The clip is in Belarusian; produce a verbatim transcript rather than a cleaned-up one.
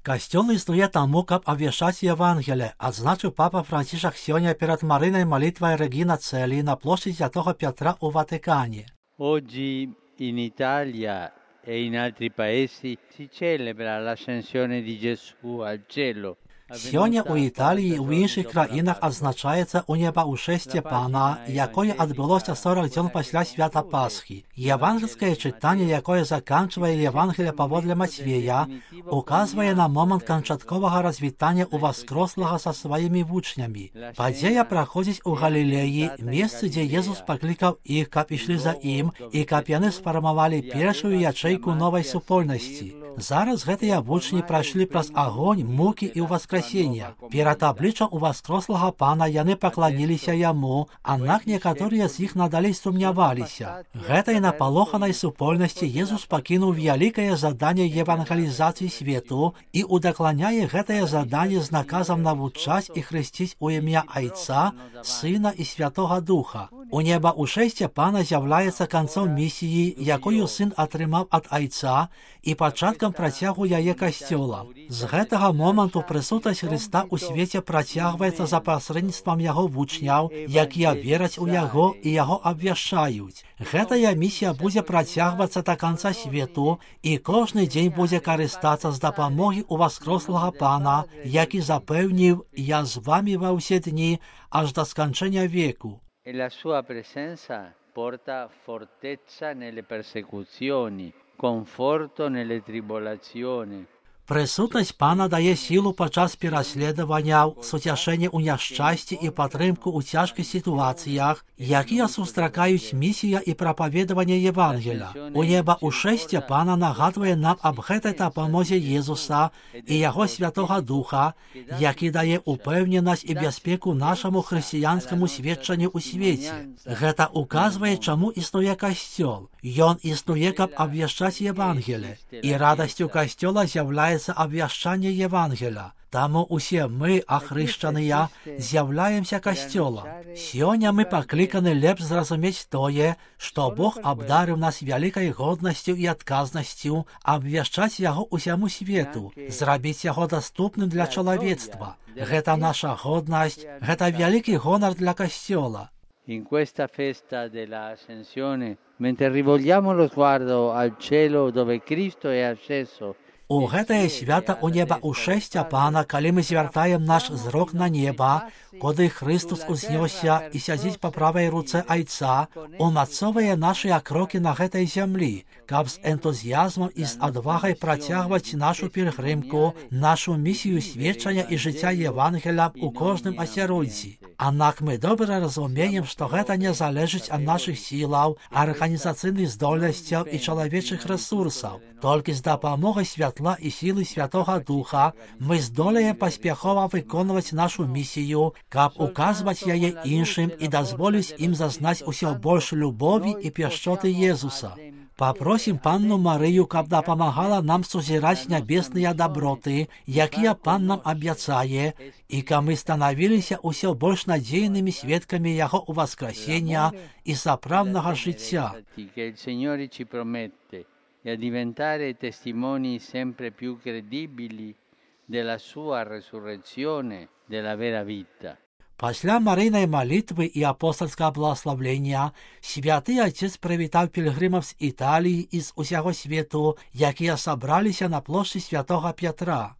Касцёл існуе таму, каб абвяшчаць Евангелие, адзначыў папа Францішак сёння перад марынай малітвай Регіна Цэлі на плошчы Святого Петра у Ватикане. Oggi in Italia e in altri paesi si celebra l'ascensione di Gesù al cielo. Сёння у Італіі і ў іншых краінах адзначаецца унебаўшэсце Пана, якое адбылося сорок дзён пасля свята Пасхі. Евангельскае чытанне, якое заканчвае Евангелие паводле Мацвея, указвае на момант канчатковага развітання ўваскрослага са сваімі вучнямі. Падзея праходзіць у Галілеі, месцы, дзе Езус паклікаў іх, каб ішлі за ім, і каб яны сфармавалі першую ячэйку новай супольнасці. Зараз гэтыя вучні прайшлі праз агонь, мукі і ўваскрасення. Перад абліччам уваскрослага Пана яны пакланіліся яму, аднак некаторыя з іх надалей сумняваліся. Гэтай напалоханай супольнасці Езус пакінуў вялікае заданне евангелізацыі свету і удакланяе гэтае заданне з наказам навучаць і хрысціць у імя Айца, Сына і Святога Духа. У небаўшэсце Пана з'яўляецца канцом місіі, якую сын атрымаў ад Айца, і пачаткам працягу яе касцёла. З гэтага моманту прысутнасць Хрыста ў свеце працягваецца за пасрэдніцтвам яго вучняў, якія вераць у яго і яго абвяшчаюць. Гэтая місія будзе працягвацца да канца свету, і кожны дзень будзе карыстацца з дапамогі ўваскрослага Пана, які запэўніў: «Я з вамі ва ўсе дні, аж да сканчэння веку». E la sua presenza porta fortezza nelle persecuzioni, conforto nelle tribolazioni. Прысутнасць Пана дае сілу падчас пераследаванняў, суцяшэнне ў няшчасці і падтрымку ў цяжкіх сітуацыях, якія сустракаюць місія і прапаведаванне Евангеля. У небаўшэсце Пана нагадвае нам аб гэтай дапамозе Езуса і яго Святога Духа, які дае упэўненасць і бяспеку нашаму хрысціянскаму сведчанню ў свеце. Гэта указвае, чаму існуе касцёл. Ён існуе, каб абвяшчаць Евангелие, і радасцю касцёла з'яўляецца абвяшчанне Евангеля. Таму усе мы, ахрышчаныя, з'яўляемся касцёлам. Сёння мы пакліканы лепш зразумець тое, што Бог абдарыў нас вялікай годнасцю і адказнасцю абвяшчаць яго ўсяму свету, зрабіць яго даступным для чалавецтва. Гэта наша годнасць, гэта вялікі гонар для касцёла. In questa festa della Ascensione, mentre rivolgiamo lo sguardo al cielo dove Cristo è asceso, у гэтае свята у небаўшэсце Пана, калі мы звяртаем наш зрок на неба, куды Хрыстус узнёсся і сядзіць па правай руцэ Айца, умацовае нашыя крокі на гэтай зямлі, каб з энтузіязмам і з адвагай працягваць нашу пільгрымку, нашу місію сведчання і жыцця Евангеля у кожным асяроддзі. Аднак мы добра разумеем, што гэта не залежыць ад нашых сілаў, арганізацыйных здольнасцяў і чалавечых рэсурсаў. Толькі з дапамогай святла і сілы Святога Духа мы здолеем паспяхова выконваць нашу місію, каб указваць яе іншым і дазволіць ім зазнаць усё больш любові і пяшчоты Езуса. Папросім Панну Марыю, каб дапамагала нам сузіраць нябесныя даброты, якія Пан нам абяцае, і каб мы станавіліся ўсё больш надзейнымі сведкамі яго ўваскрасення і сапраўднага жыцця. E a diventare testimoni sempre più credibili della sua resurrezione, della vera vita. Пасля марыйнай малітвы і апостальскага благаславлення святы Отец прывітаў пільгрымаў з Італіі і з усяго свету, якія сабраліся на плошчы Святога Петра.